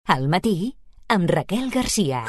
Al matí, amb Raquel Garcia.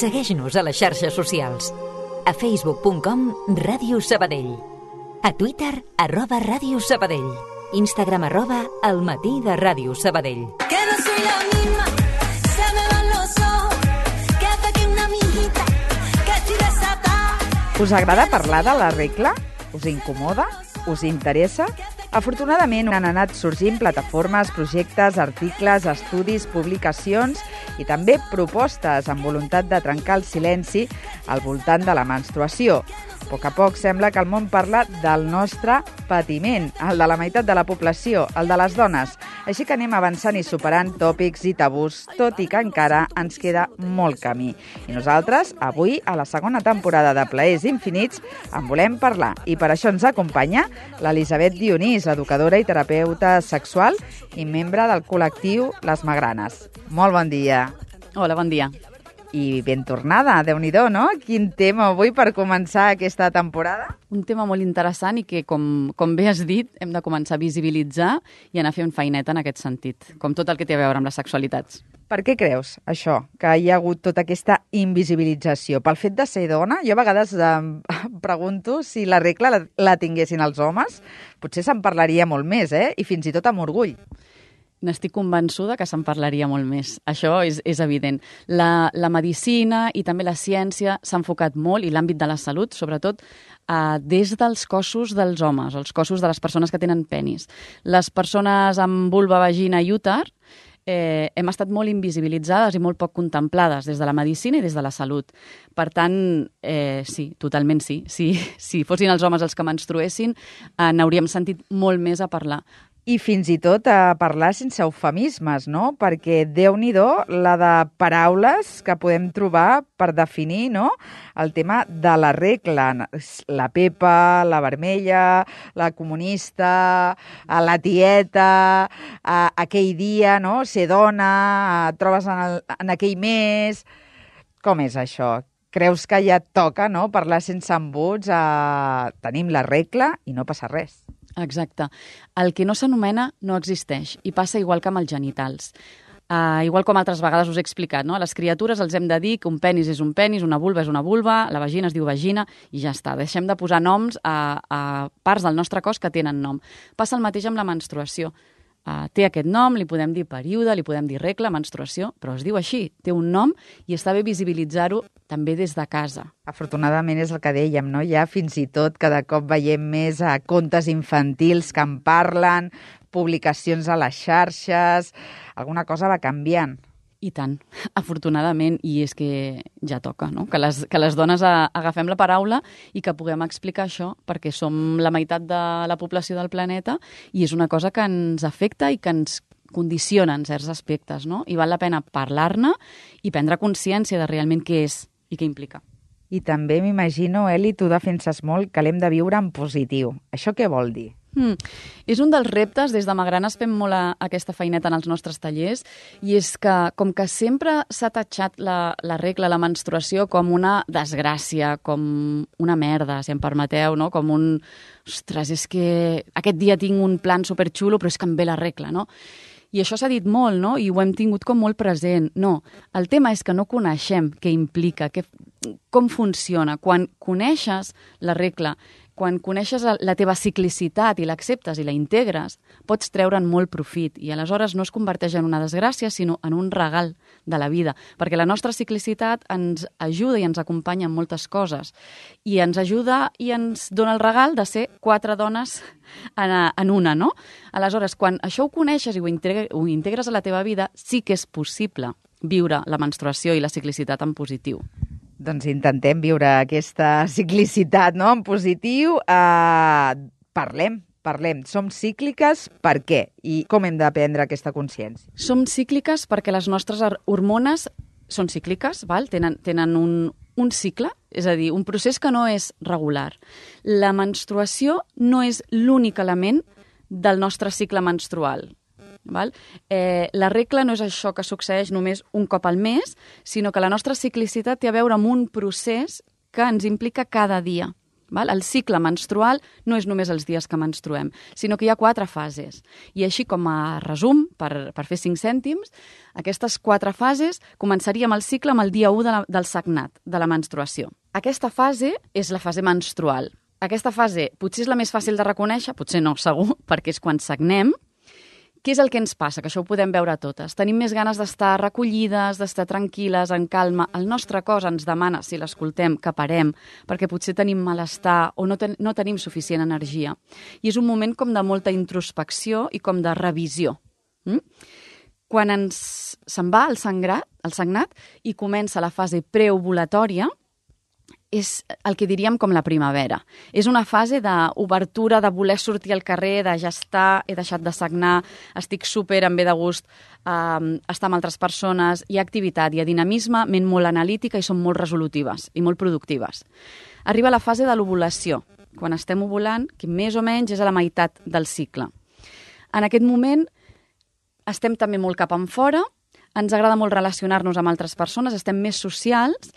Segueix-nos a les xarxes socials. A facebook.com Ràdio Sabadell. A Twitter @Ràdio Sabadell. Instagram @El matí de Ràdio Sabadell. Que no soy la misma, se me van los ojos, que hasta que una amiguita, que estoy desatada. Us agrada parlar de la regla? Us incomoda? Us interessa? Afortunadament han anat sorgint plataformes, projectes, articles, estudis, publicacions i també propostes amb voluntat de trencar el silenci al voltant de la menstruació. A poc a poc sembla que el món parla del nostre patiment, el de la meitat de la població, el de les dones. Així que anem avançant i superant tòpics i tabús, tot i que encara ens queda molt camí. I nosaltres, avui, a la segona temporada de Plaers Infinits, en volem parlar. I per això ens acompanya l'Elisabet Dionís, educadora i terapeuta sexual i membre del col·lectiu Les Magranes. Molt bon dia. Hola, bon dia. I ben tornada, Déu-n'hi-do, no? Quin tema avui per començar aquesta temporada? Un tema molt interessant i que, com bé has dit, hem de començar a visibilitzar i anar fent feineta en aquest sentit, com tot el que té a veure amb les sexualitats. Per què creus, això, que hi ha hagut tota aquesta invisibilització? Pel fet de ser dona? Jo a vegades pregunto si la regla la tinguessin els homes, potser se'n parlaria molt més, i fins i tot amb orgull. N'estic convençuda que se'n parlaria molt més. Això és evident. La medicina i també la ciència s'ha enfocat molt, i l'àmbit de la salut, sobretot, des dels cossos dels homes, els cossos de les persones que tenen penis. Les persones amb vulva, vagina i úter hem estat molt invisibilitzades i molt poc contemplades des de la medicina i des de la salut. Per tant, sí, totalment sí. Si fossin els homes els que menstruessin, n'hauríem sentit molt més a parlar. I fins i tot a parlar sense eufemismes, no? Perquè Déu-n'hi-do la de paraules que podem trobar per definir, no?, el tema de la regla. La Pepa, la vermella, la comunista, la tieta, aquell dia, no?, ser dona, et trobes en aquell mes. Com és això? Creus que ja toca, no?, parlar sense embuts, tenim la regla i no passa res? Exacte. El que no s'anomena no existeix i passa igual que amb els genitals. Igual com altres vegades us he explicat, no? A les criatures els hem de dir que un penis és un penis, una vulva és una vulva, la vagina es diu vagina i ja està. Deixem de posar noms a parts del nostre cos que tenen nom. Passa el mateix amb la menstruació. Té aquest nom, li podem dir període, li podem dir regla, menstruació, però es diu així, té un nom i està bé visibilitzar-ho també des de casa. Afortunadament és el que dèiem, no? Ja fins i tot cada cop veiem més contes infantils que en parlen, publicacions a les xarxes, alguna cosa va canviant. I tant, afortunadament, i és que ja toca, no?, que les dones agafem la paraula i que puguem explicar això, perquè som la meitat de la població del planeta i és una cosa que ens afecta i que ens condiciona en certs aspectes, no? I val la pena parlar-ne i prendre consciència de realment què és i què implica. I també m'imagino, Eli, tu defenses molt que l'hem de viure en positiu. Això què vol dir? És un dels reptes, des de Magranes fem molt aquesta feineta en els nostres tallers, i és que, com que sempre s'ha tatxat la regla, la menstruació, com una desgràcia, com una merda, si em permeteu, no? Com un, ostres, és que aquest dia tinc un plan superxulo, però és que em ve la regla, no? I això s'ha dit molt, no? I ho hem tingut com molt present. No, el tema és que no coneixem què implica, com funciona. Quan coneixes la regla, quan coneixes la teva ciclicitat i l'acceptes i la integres, pots treure'n molt profit i aleshores no es converteix en una desgràcia, sinó en un regal de la vida, perquè la nostra ciclicitat ens ajuda i ens acompanya en moltes coses i ens ajuda i ens dona el regal de ser 4 dones en una, no? Aleshores, quan això ho coneixes i ho integres a la teva vida, sí que és possible viure la menstruació i la ciclicitat en positiu. Doncs intentem viure aquesta ciclicitat, no?, en positiu. Parlem. Som cícliques per què? I com hem d'aprendre aquesta consciència? Som cícliques perquè les nostres hormones són cícliques, val? Tenen un cicle, és a dir, un procés que no és regular. La menstruació no és l'únic element del nostre cicle menstrual. Val? La regla no és això que succeeix només un cop al mes, sinó que la nostra ciclicitat té a veure amb un procés que ens implica cada dia. Val? El cicle menstrual no és només els dies que menstruem, sinó que hi ha 4 fases. I així com a resum, per fer 5 cèntims, aquestes 4 fases començaríem el cicle amb el dia 1 del sagnat, de la menstruació. Aquesta fase és la fase menstrual. Aquesta fase potser és la més fàcil de reconèixer, potser no, segur, perquè és quan sagnem. Què és el que ens passa? Que això ho podem veure totes. Tenim més ganes d'estar recollides, d'estar tranquil·les, en calma. El nostre cos ens demana, si l'escoltem, que parem, perquè potser tenim malestar o no tenim suficient energia. I és un moment com de molta introspecció i com de revisió. Quan se'n va el sagnat i comença la fase preovulatòria, és el que diríem com la primavera. És una fase d'obertura, de voler sortir al carrer, de ja estar, he deixat de sagnar, estic súper amb bé de gust, estar amb altres persones, hi ha activitat, hi ha dinamisme, ment molt analítica i són molt resolutives i molt productives. Arriba la fase de l'ovulació, quan estem ovulant, que més o menys és a la meitat del cicle. En aquest moment estem també molt cap enfora, ens agrada molt relacionar-nos amb altres persones, estem més socials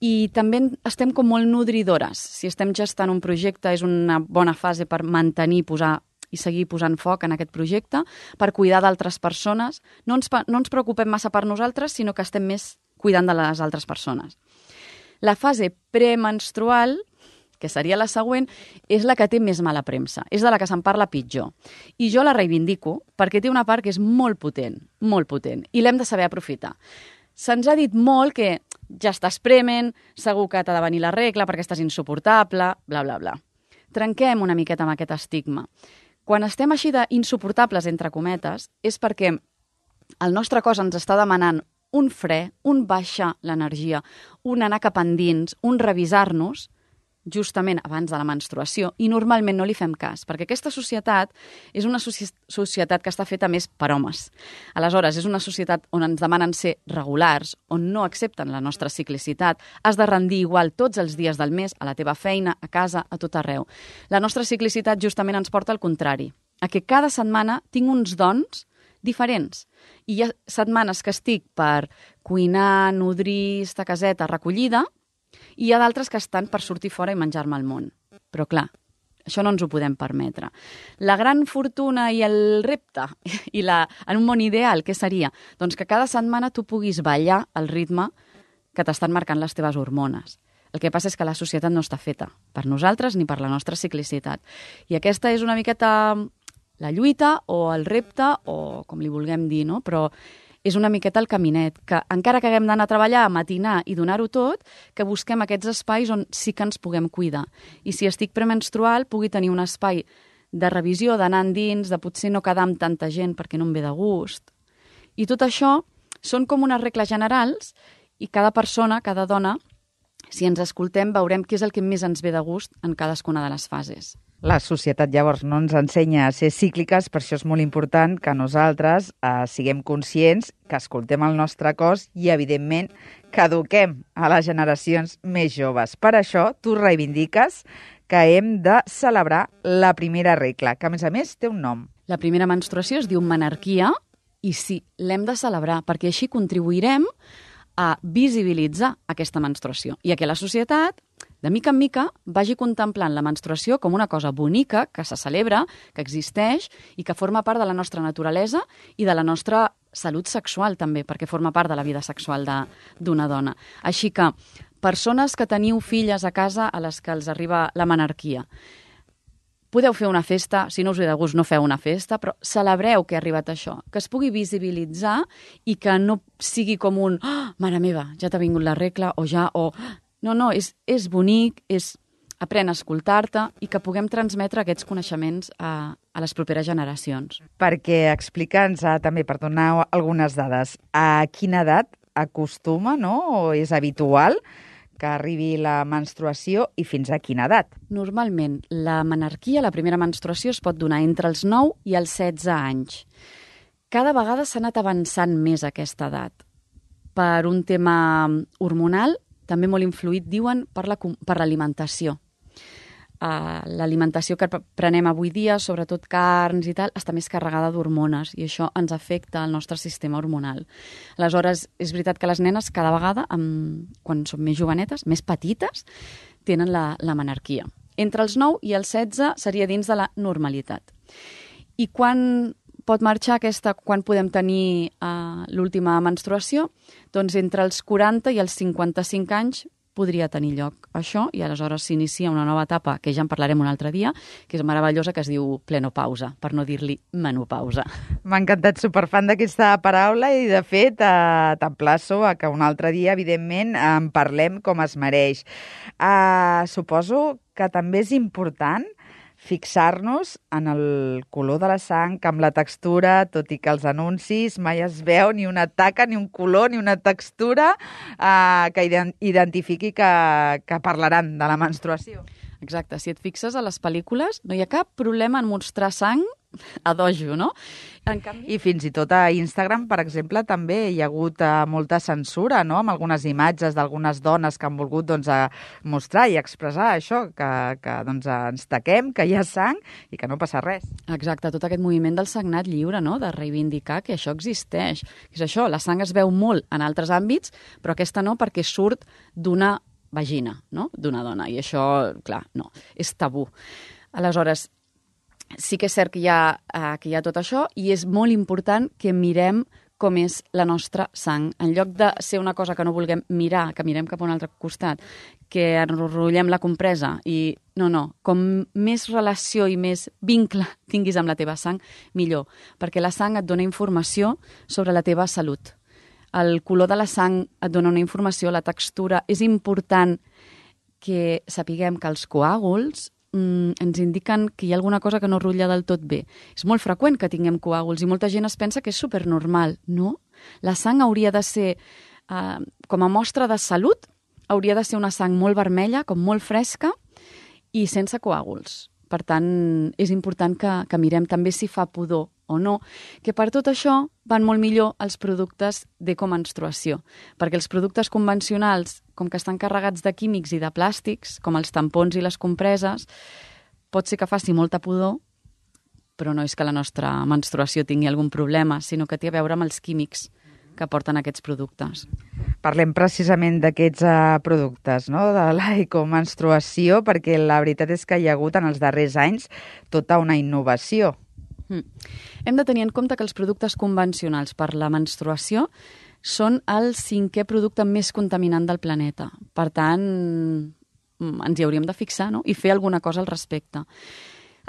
i també estem com molt nodridores. Si estem gestant un projecte és una bona fase per mantenir i seguir posant foc en aquest projecte, per cuidar d'altres persones. No ens preocupem massa per nosaltres, sinó que estem més cuidant de les altres persones. La fase premenstrual, que seria la següent, és la que té més mala premsa, és de la que se'n parla pitjor. I jo la reivindico perquè té una part que és molt potent, i l'hem de saber aprofitar. Se'ns ha dit molt que ja estàs prement, segur que t'ha de venir la regla perquè estàs insuportable, bla, bla, bla. Trenquem una miqueta amb aquest estigma. Quan estem així d'insuportables, entre cometes, és perquè el nostre cos ens està demanant un fre, un baixar l'energia, un anar cap endins, un revisar-nos, justament abans de la menstruació, i normalment no li fem cas, perquè aquesta societat és una societat que està feta més per homes. Aleshores, és una societat on ens demanen ser regulars, on no accepten la nostra ciclicitat, has de rendir igual tots els dies del mes, a la teva feina, a casa, a tot arreu. La nostra ciclicitat justament ens porta al contrari, a que cada setmana tinc uns dons diferents. I hi ha setmanes que estic per cuinar, nodrir, estar a caseta, recollida, i hi ha d'altres que estan per sortir fora i menjar-me el món. Però clar, això no ens ho podem permetre. La gran fortuna i el repte, en un món ideal, què seria? Doncs que cada setmana tu puguis ballar al ritme que t'estan marcant les teves hormones. El que passa és que la societat no està feta per nosaltres ni per la nostra ciclicitat. I aquesta és una miqueta la lluita o el repte, o com li vulguem dir, no? Però és una miqueta el caminet, que encara que haguem d'anar a treballar, a matinar i donar-ho tot, que busquem aquests espais on sí que ens puguem cuidar. I si estic premenstrual, pugui tenir un espai de revisió, d'anar endins, de potser no quedar amb tanta gent perquè no em ve de gust. I tot això són com unes regles generals i cada persona, cada dona, si ens escoltem, veurem què és el que més ens ve de gust en cadascuna de les fases. La societat llavors no ens ensenya a ser cícliques, per això és molt important que nosaltres siguem conscients, que escoltem el nostre cos i, evidentment, que eduquem a les generacions més joves. Per això, tu reivindiques que hem de celebrar la primera regla, que a més té un nom. La primera menstruació es diu menarquia i sí, l'hem de celebrar perquè així contribuirem a visibilitzar aquesta menstruació i a que la societat, de mica en mica, vagi contemplant la menstruació com una cosa bonica, que se celebra, que existeix i que forma part de la nostra naturalesa i de la nostra salut sexual també, perquè forma part de la vida sexual d'una dona. Així que, persones que teniu filles a casa a les que els arriba la menarquia, podeu fer una festa, si no us ve de gust no feu una festa, però celebreu que ha arribat això, que es pugui visibilitzar i que no sigui com un «Oh, mare meva, ja t'ha vingut la regla» o ja, o... No, és bonic, aprèn a escoltar-te i que puguem transmetre aquests coneixements a les properes generacions. Perquè explica'ns també, per donar algunes dades, a quina edat acostuma, no?, o és habitual que arribi la menstruació i fins a quina edat? Normalment, la menarquia, la primera menstruació, es pot donar entre els 9 i els 16 anys. Cada vegada s'ha anat avançant més aquesta edat, per un tema hormonal, també molt influït, diuen, per l'alimentació. L'alimentació que prenem avui dia, sobretot carns i tal, està més carregada d'hormones i això ens afecta al nostre sistema hormonal. Aleshores, és veritat que les nenes cada vegada, quan són més jovenetes, més petites, tenen la menarquia. Entre els 9 i els 16 seria dins de la normalitat. I quan pot marxar quan podem tenir l'última menstruació? Doncs entre els 40 i els 55 anys podria tenir lloc això i aleshores s'inicia una nova etapa, que ja en parlarem un altre dia, que és meravellosa, que es diu plenopausa, per no dir-li menopausa. M'ha encantat, superfan d'aquesta paraula i, de fet, t'emplaço a que un altre dia, evidentment, en parlem com es mereix. Suposo que també és important fixar-nos en el color de la sang, amb la textura, tot i que els anuncis mai es veu ni una taca, ni un color, ni una textura que identifiqui que parlaran de la menstruació. Exacte, si et fixes a les pel·lícules no hi ha cap problema en mostrar sang a dojo, no? En canvi... I fins i tot a Instagram, per exemple, també hi ha hagut molta censura, no?, amb algunes imatges d'algunes dones que han volgut mostrar i expressar això, que ens taquem, que hi ha sang i que no passa res. Exacte, tot aquest moviment del sagnat lliure, no?, de reivindicar que això existeix. És això, la sang es veu molt en altres àmbits, però aquesta no, perquè surt d'una vagina, no?, d'una dona. I això, clar, no, és tabú. Aleshores, sí que és cert que hi ha tot això i és molt important que mirem com és la nostra sang. En lloc de ser una cosa que no vulguem mirar, que mirem cap a un altre costat, que enrotllem la compresa i... No, com més relació i més vincle tinguis amb la teva sang, millor, perquè la sang et dona informació sobre la teva salut. El color de la sang et dona una informació, la textura. És important que sapiguem que els coàguls ens indiquen que hi ha alguna cosa que no rutlla del tot bé. És molt freqüent que tinguem coàguls i molta gent es pensa que és supernormal. No, la sang hauria de ser, com a mostra de salut, hauria de ser una sang molt vermella, com molt fresca i sense coàguls. Per tant, és important que mirem també si fa pudor o no, que per tot això van molt millor els productes d'ecomenstruació, perquè els productes convencionals, com que estan carregats de químics i de plàstics, com els tampons i les compreses, pot ser que faci molta pudor, però no és que la nostra menstruació tingui algun problema, sinó que té a veure amb els químics que porten aquests productes. Parlem precisament d'aquests productes, no?, de l'ecomenstruació, perquè la veritat és que hi ha hagut en els darrers anys tota una innovació. Hem de tenir en compte que els productes convencionals per la menstruació són el 5è producte més contaminant del planeta. Per tant, ens hi hauríem de fixar, no?, i fer alguna cosa al respecte.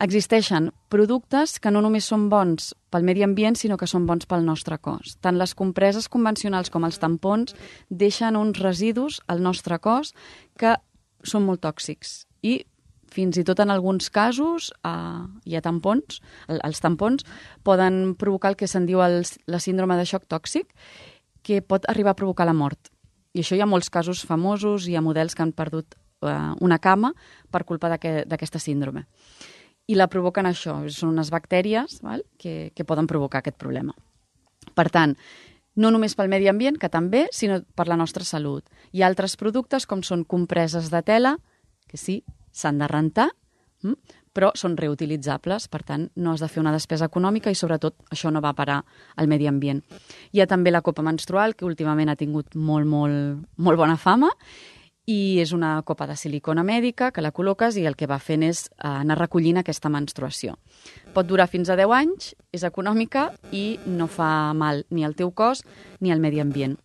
Existeixen productes que no només són bons pel medi ambient, sinó que són bons pel nostre cos. Tant les compreses convencionals com els tampons deixen uns residus al nostre cos que són molt tòxics i fins i tot en alguns casos hi ha tampons, els tampons poden provocar el que se'n diu la síndrome de xoc tòxic, que pot arribar a provocar la mort. I això hi ha molts casos famosos, hi ha models que han perdut una cama per culpa d'aquesta síndrome. I la provoquen això, són unes bactèries, val?, que poden provocar aquest problema. Per tant, no només pel medi ambient, que també, sinó per la nostra salut. Hi ha altres productes com són compreses de tela, que sí, s'han de rentar, però són reutilitzables, per tant, no has de fer una despesa econòmica i, sobretot, això no va parar al medi ambient. Hi ha també la copa menstrual, que últimament ha tingut molt bona fama, i és una copa de silicona mèdica que la col·loques i el que va fent és anar recollint aquesta menstruació. Pot durar fins a 10 anys, és econòmica i no fa mal ni al teu cos ni al medi ambient.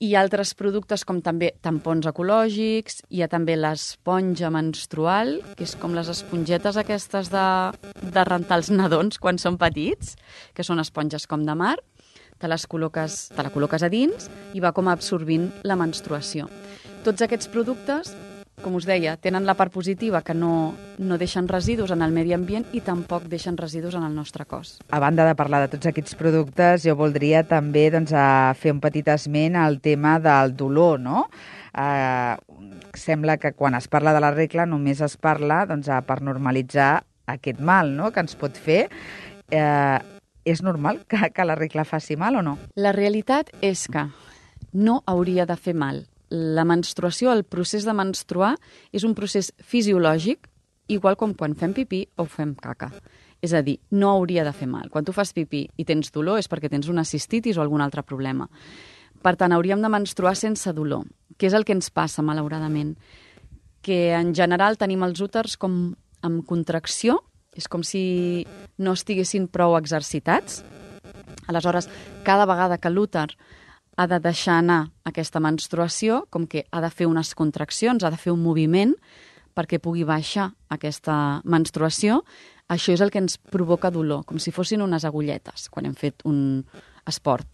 Hi ha altres productes com també tampons ecològics, hi ha també l'esponja menstrual, que és com les espongetes aquestes de rentar els nadons quan són petits, que són esponges com de mar, te la col·loques a dins i va com absorbint la menstruació. Tots aquests productes, com us deia, tenen la part positiva que no deixen residus en el medi ambient i tampoc deixen residus en el nostre cos. A banda de parlar de tots aquests productes, jo voldria també fer un petit esment al tema del dolor, no? Sembla que quan es parla de la regla només es parla per normalitzar aquest mal, no?, que ens pot fer. És normal que la regla faci mal o no? La realitat és que no hauria de fer mal. La menstruació, el procés de menstruar, és un procés fisiològic, igual com quan fem pipí o fem caca. És a dir, no hauria de fer mal. Quan tu fas pipí i tens dolor és perquè tens una cistitis o algun altre problema. Per tant, hauríem de menstruar sense dolor, que és el que ens passa, malauradament. Que en general tenim els úters com amb contracció, és com si no estiguessin prou exercitats. Aleshores, cada vegada que l'úter ha de deixar anar aquesta menstruació, com que ha de fer unes contraccions, ha de fer un moviment perquè pugui baixar aquesta menstruació, això és el que ens provoca dolor, com si fossin unes agulletes quan hem fet un esport.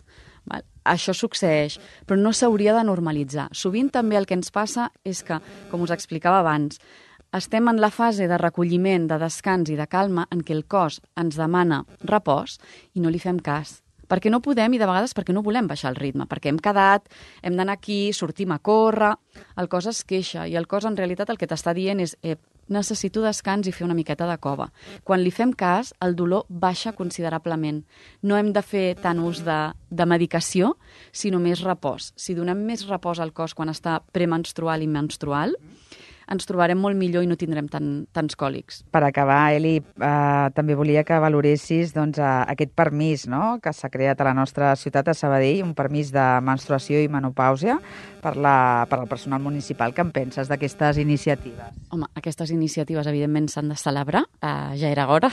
Això succeeix, però no s'hauria de normalitzar. Sovint també el que ens passa és que, com us explicava abans, estem en la fase de recolliment, de descans i de calma en què el cos ens demana repòs i no li fem cas. Perquè no podem i de vegades perquè no volem baixar el ritme, perquè hem quedat, hem d'anar aquí, sortim a córrer, el cos es queixa i el cos en realitat el que t'està dient és necessito descans i fer una miqueta de cova. Quan li fem cas, el dolor baixa considerablement. No hem de fer tant ús de medicació, sinó més repòs. Si donem més repòs al cos quan està premenstrual i menstrual, ens trobarem molt millor i no tindrem tants còlics. Per acabar, Eli, també volia que valoressis aquest permís, no?, que s'ha creat a la nostra ciutat, a Sabadell, un permís de menstruació i menopàusia per al personal municipal. Què en penses d'aquestes iniciatives? Home, aquestes iniciatives, evidentment, s'han de celebrar. Ja era hora,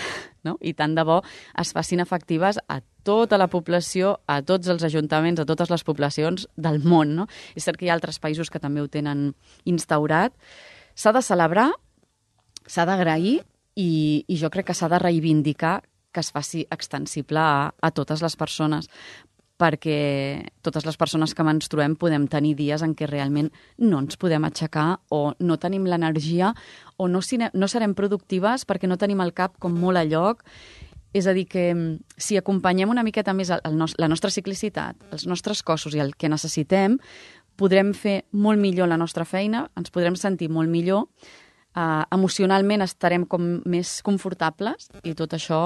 no? I tant de bo es facin efectives a tota la població, a tots els ajuntaments, a totes les poblacions del món, no? És cert que hi ha altres països que també ho tenen instaurat. S'ha de celebrar, s'ha d'agrair i jo crec que s'ha de reivindicar que es faci extensible a totes les persones, perquè totes les persones que menstruem podem tenir dies en què realment no ens podem aixecar o no tenim l'energia o no serem productives perquè no tenim el cap com molt a lloc. És a dir, que si acompanyem una miqueta més la nostra ciclicitat, els nostres cossos i el que necessitem, podrem fer molt millor la nostra feina, ens podrem sentir molt millor, emocionalment estarem com més confortables i tot això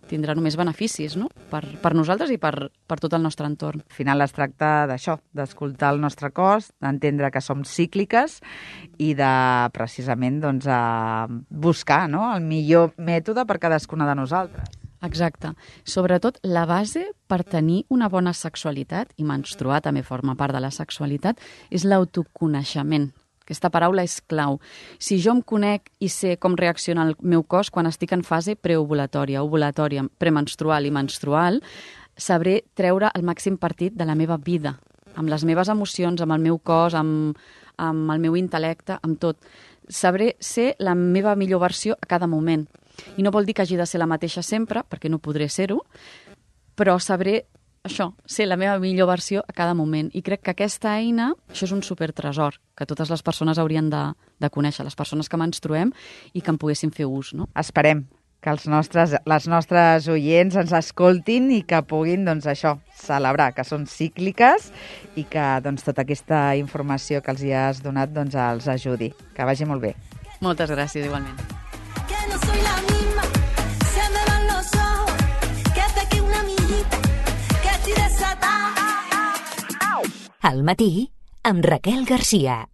tindrà només beneficis, no?, per nosaltres i per tot el nostre entorn. Al final es tracta d'això, d'escoltar el nostre cos, d'entendre que som cícliques i de precisament buscar, no?, el millor mètode per cadascuna de nosaltres. Exacte. Sobretot, la base per tenir una bona sexualitat, i menstruar també forma part de la sexualitat, és l'autoconeixement. Aquesta paraula és clau. Si jo em conec i sé com reacciona el meu cos quan estic en fase preovulatòria, ovulatòria, premenstrual i menstrual, sabré treure el màxim partit de la meva vida, amb les meves emocions, amb el meu cos, amb el meu intel·lecte, amb tot. Sabré ser la meva millor versió a cada moment. I no vol dir que hagi de ser la mateixa sempre, perquè no podré ser-ho, però sabré això, ser la meva millor versió a cada moment. I crec que aquesta eina, això és un supertresor que totes les persones haurien de conèixer, les persones que menstruem, i que en poguessin fer ús, no? Esperem que les nostres oients ens escoltin i que puguin, celebrar que són cícliques i que tota aquesta informació que els hi has donat els ajudi. Que vagi molt bé. Moltes gràcies, igualment. Que no soy la misma, se me van los ojos, que pequé una amiguita, que estoy desatada. Al matí, amb Raquel Garcia.